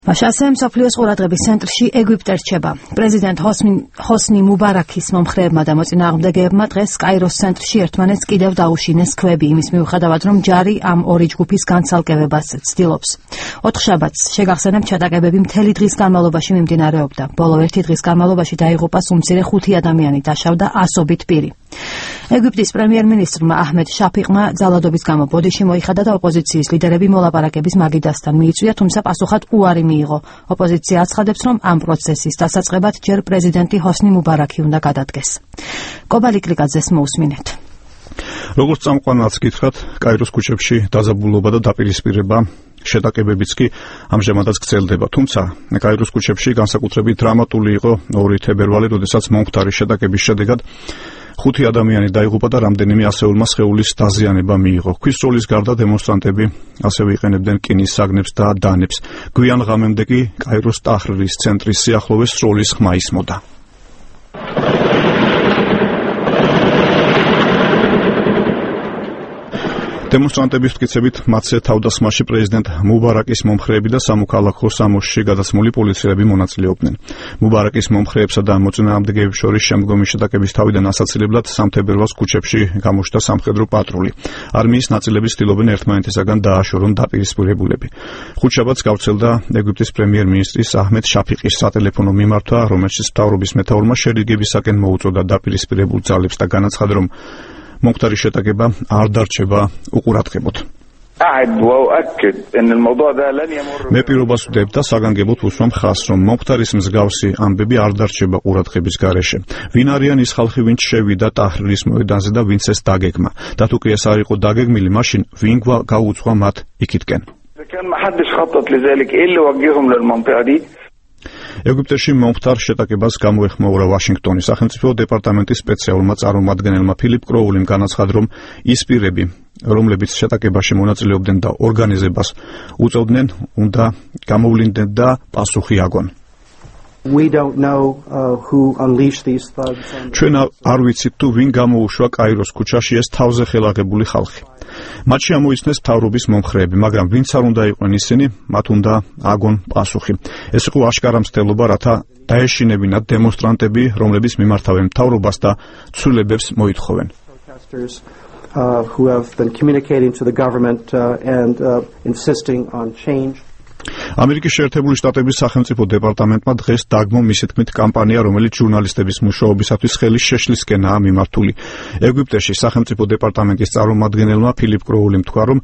მაშასე მსოფლიოს ყურადღების ცენტრში ეგვიპტე რჩება. პრეზიდენტ ჰოსნი მუბარაქის მომხრეებმა და მოწინააღმდეგეებმა დღეს კაიროს ცენტრში ერთმანეთს კიდევ დაუშინეს ქვები, იმის მიუხედავად, რომ ჯარი ამ ორი ჯგუფის განცალკევებას ცდილობს. ოთხშაბათს შეგახსენებთ, ჩატაკებები მთელი დღის განმავლობაში მიმდინარეობდა. ბოლო ერთი დღის განმავლობაში დაიღუპა სუმცირე 5 ადამიანი, დაშავდა ასობით პირი. ეგვიპტის პრემიერ-მინისტრმა აჰმედ შაფიყმა ძალადობის გამო ბოდიში მოიხადა და ოპოზიციის ლიდერები მოლაპარაკების მაგიდასთან მიიწვია, თუმცა პასუხად უარი მიიღო. ოპოზიცია აცხადებს, რომ ამ პროცესის დასაწყებად ჯერ პრეზიდენტი ჰოსნი მუბარაქი უნდა გადადგეს. კობალი კლიკაძეს მოусმინეთ. როგორც წამყვანაც გითხრათ, კაიროს ქუჩებში დაძაბულობა და დაპირისპირება შეტაკებებიც კი ამჟამადაც გრძელდება. თუმცა კაიროს ქუჩებში განსაკუთრებით დრამატული იყო 2 თებერვალი, როდესაც მომხდარი შეტაკების შედეგად 5 ადამიანი დაიღუპა და რამდენიმე ასეულმა სხეულის დაზიანება მიიღო. ქვის სროლის გარდა დემონსტრანტები ასევე იყენებდნენ რკინის საგნებს და დანებს. გვიან ღამემდე კი კაიროს ტაჰრირის ცენტრის სიახლოვეს სროლის ხმა ისმოდა. დემონსტრანტების მტკიცებით მათზე თავდასხმაში პრეზიდენტ მუბარაკის მომხრეები და სამოქალაქო სამოსში გადაცმული პოლიციელები მონაწილეობდნენ. მუბარაკის მომხრეებსა და მოწინააღმდეგეებს შორის შემდგომი შეტაკების თავიდან ასაცილებლად 3 თებერვალს ქუჩებში გამოჩნდა სამხედრო პატრული. არმიის ნაწილები ცდილობენ ერთმანეთისაგან დააშორონ დაპირისპირებულები. ხუთშაბათს გავრცელდა ეგვიპტის პრემიერ-მინისტრის აჰმედ შაფიყის სატელეფონო მიმართვა, რომელშიც მთავრობის მეთაურმა შერიგებისაკენ მოუწოდა დაპირისპირებულ ძალებს და განაცხადა, რომ მომხდარი შეტაკება არ დარჩება უყურადღებოდ. მე პირობას ვდებ და საგანგებოდ ვუსვამ ხაზს, რომ მომხდარის მსგავსი ამბები არ დარჩება ყურადღების გარეშე. ვინ არიან ის ხალხი, ვინც შევიდა ტაჰრირის მოედანზე და ვინც ეს დაგეგმა? და თუ კი ეს არ იყო დაგეგმილი, მაშინ ვინ გაუძღვა მათ იქითკენ? ეგვიპტეში მომხდარ შეტაკებას გამოეხმაურა ვაშინგტონის სახელმწიფო დეპარტამენტის სპეციალურმა წარმომადგენელმა ფილიპ კროულიმ განაცხადა, რომ ის პირები, რომლებიც შეტაკებაში მონაწილეობდნენ და ორგანიზებას უწევდნენ, უნდა გამოვლინდნენ და პასუხი აგონ. ჩვენ არ ვიცით თუ ვინ გამოუშვა კაიროს ქუჩაში ეს თავზე ხელაღებული ხალხი. მათში ამოიცნეს მთავრობის მომხრეები, მაგრამ ვინც არ უნდა იყვნენ ისინი, მათ უნდა აგონ პასუხი. ეს იყო აშკარა მცდელობა, რათა დაეშინებინათ დემონსტრანტები, რომლებიც მიმართავენ მთავრობას და ცვლილებებს მოითხოვენ. Who have been communicating to the government and insisting on change. ამერიკის შეერთებული შტატების სახელმწიფო დეპარტამენტმა დღეს დაგმო მისი თქმით კამპანია, რომელიც ჟურნალისტების მუშაობისათვის ხელის შეშლისკენაა მიმართული. ეგვიპტეში სახელმწიფო დეპარტამენტის წარმომადგენელმა ფილიპ კროულიმ თქვა, რომ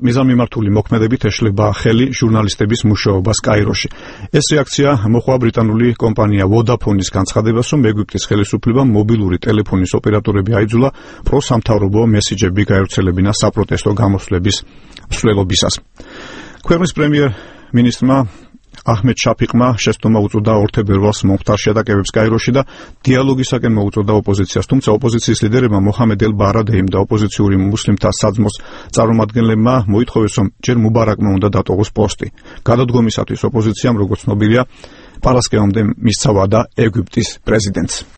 მიზანმიმართული მოქმედებით ეშლება ხელი ჟურნალისტების მუშაობას კაიროში. ეს რეაქცია მოჰყვა ბრიტანული კომპანია ვოდაფონის განცხადებას, რომ ეგვიპტის ხელისუფლებამ მობილური ტელეფონის ოპერატორები აიძულა პროსამთავრობო მესიჯები გაევრცელებინა საპროტესტო გამოსვლების მსვლელობისას. ქვეყნის პრემიერ-მინისტრმა აჰმედ შაფიყმა შეცდომა უწოდა 2 თებერვალს მომხდარ შეტაკებებს კაიროში და დიალოგისაკენ მოუწოდა ოპოზიციას, თუმცა ოპოზიციის ლიდერებმა მოჰამედ ელ-ბარადეიმ და ოპოზიციური მუსლიმთა საძმოს წარმომადგენლებმა მოითხოვეს, რომ ჯერ მუბარაკმა უნდა დატოვოს პოსტი. გადადგომისათვის ოპოზიციამ, როგორც ცნობილია, პარასკევამდე მისცა ვადა ეგვიპტის პრეზიდენტს.